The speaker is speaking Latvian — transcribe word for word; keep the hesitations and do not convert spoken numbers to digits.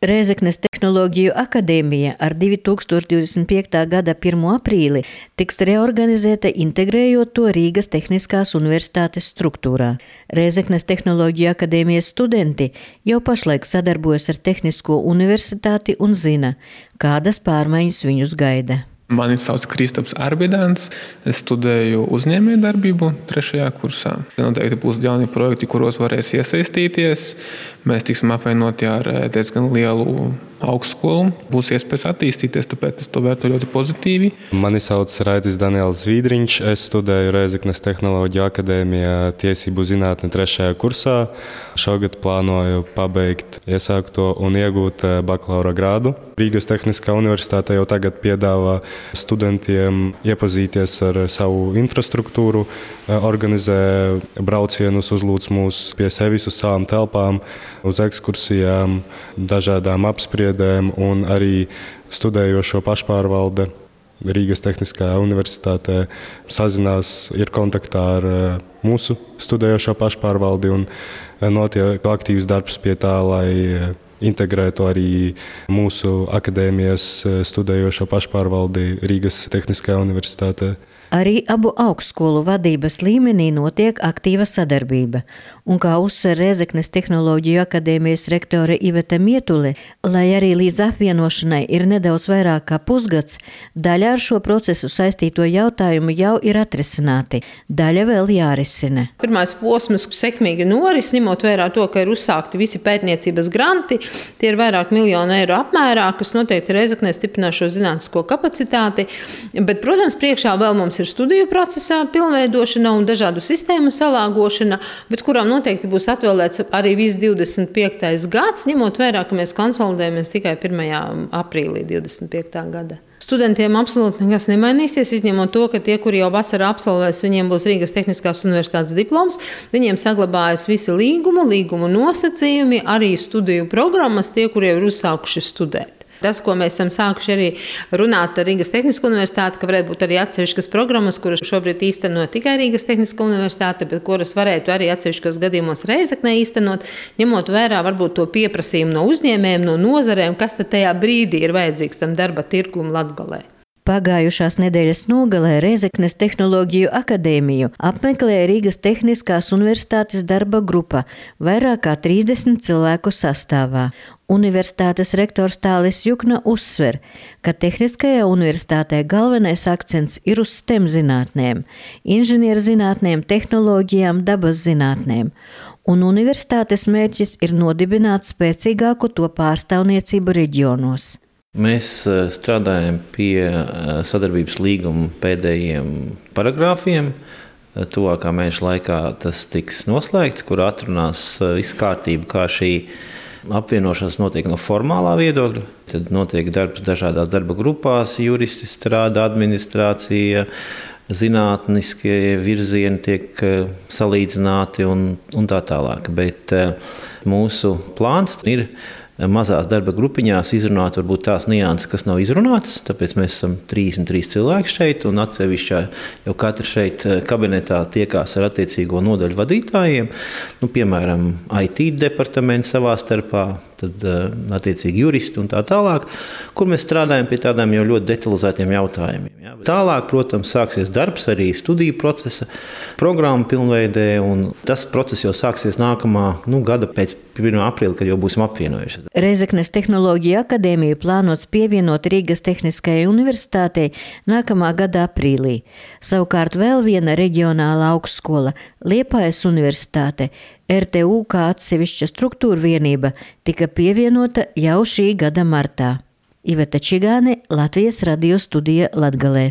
Rēzeknes Tehnoloģiju akadēmija ar divi tūkstoši divdesmit piekta gada pirmo aprīli tiks reorganizēta, integrējot to Rīgas Tehniskās universitātes struktūrā. Rēzeknes Tehnoloģiju akadēmijas studenti jau pašlaik sadarbojas ar Tehnisko universitāti un zina, kādas pārmaiņas viņus gaida. Mani sauc Kristaps Arbidāns, es studēju uzņēmējdarbību trešajā kursā. Noteikti būs jauni projekti, kuros varēs iesaistīties. Mēs tiksim apvienoti ar diezgan lielu augstskolu. Būs iespējas attīstīties, tāpēc es to vērtēju ļoti pozitīvi. Mani sauc Raitis Daniels Zviedriņš, es studēju Rēzeknes Tehnoloģiju akadēmijā tiesību zinātne trešajā kursā. Šogad plānoju pabeigt iesākto un iegūt bakalaura grādu. Rīgas Tehniskā universitāte jau tagad piedāvā studentiem iepazīties ar savu infrastruktūru, organizē braucienus, uzlūdz mūs pie sevis uz savām telpām, uz ekskursijām, dažādām apspriedēm, un arī studējošo pašpārvalde Rīgas Tehniskajā universitātē sazinās, ir kontaktā ar mūsu studējošo pašpārvaldi un notiek aktīvs darbs pie tā, lai integrētu arī mūsu akadēmijas studējošo pašpārvaldi Rīgas Tehniskajā universitātē. Arī abu augstskolu vadības līmenī notiek aktīva sadarbība, un kā uzsver Rēzeknes Tehnoloģiju akadēmijas rektore Iveta Mietule, lai arī līdz apvienošanai ir nedaudz vairāk kā pusgads, daļa ar šo procesu saistīto jautājumu jau ir atrisināti, daļa vēl jārisina. Pirmais posms sekmīgi noris, ņemot vērā to, ka ir uzsākti visi pētniecības granti, tie ir vairāk miljonu eiro apmērā, kas noteikti Rēzeknē stiprina šo zinātnisko kapacitāti, bet, protams, priekšā vēl mums ir studiju procesā pilnveidošana un dažādu sistēmu salāgošana, bet kurām noteikti būs atvēlēts arī viss divdesmit piektais gads, ņemot vērā, ka mēs konsolidējamies tikai pirmajā aprīlī divdesmit piektā gada. Studentiem absolūti nekas nemainīsies, izņemot to, ka tie, kuri jau vasarā absolvēs, viņiem būs Rīgas Tehniskās universitātes diploms, viņiem saglabājas visi līgumu, līgumu nosacījumi, arī studiju programmas, tie, kuri jau ir uzsākuši studēt. Tas, ko mēs esam sākuši arī runāt ar Rīgas Tehnisko universitāti, ka varētu būt arī atsevišķas programmas, kuras šobrīd īsteno tikai Rīgas Tehnisko universitāte, bet kuras varētu arī atsevišķos gadījumos Rēzeknē īstenot, ņemot vērā varbūt to pieprasījumu no uzņēmējiem, no nozarēm, kas tad tajā brīdī ir vajadzīgs tam darba tirgum Latgalē. Pagājušās nedēļas nogalē Rēzeknes Tehnoloģiju akadēmiju apmeklēja Rīgas Tehniskās universitātes darba grupa vairāk kā trīsdesmit cilvēku sastāvā. Universitātes rektors Tālis Jukna uzsver, ka Tehniskajā universitātē galvenais akcents ir uz STEM zinātnēm, inženierzinātnēm, tehnoloģijām, dabas zinātnēm, un universitātes mērķis ir nodibināt spēcīgāku to pārstāvniecību reģionos. Mēs strādājam pie sadarbības līguma pēdējiem paragrāfiem. Tuvākā mēneša laikā tas tiks noslēgts, kur atrunās visu kārtību, kā šī apvienošanās notiek no formālā viedokļa. Tad notiek darbs dažādās darba grupās, juristi strādā, administrācija, zinātniskie virzieni tiek salīdzināti un, un tā tālāk. Bet mūsu plāns ir mazās darba grupiņās izrunāt varbūt tās nianses, kas nav izrunātas, tāpēc mēs esam trīsdesmit trīs cilvēki šeit, un atsevišķā jau katra šeit kabinetā tiekās ar attiecīgo nodaļu vadītājiem, nu, piemēram, I T departaments savā starpā, tad attiecīgi juristi un tā tālāk, kur mēs strādājam pie tādām jau ļoti detalizētiem jautājumiem. Ja? Tālāk, protams, sāksies darbs arī studiju procesa, programmu pilnveidē, un tas process jau sāksies nākamā nu, gada pēc pirmā aprīļa, kad jau būsim apvienojuši. Rēzeknes Tehnoloģiju akadēmiju plānots pievienot Rīgas Tehniskajai universitātei nākamā gada aprīlī. Savukārt vēl viena reģionāla augstskola, Liepājas universitāte, R T U kā atsevišķa struktūra vienība, tika pievienota jau šī gada martā. Iveta Čigāne, Latvijas radio studija Latgalē.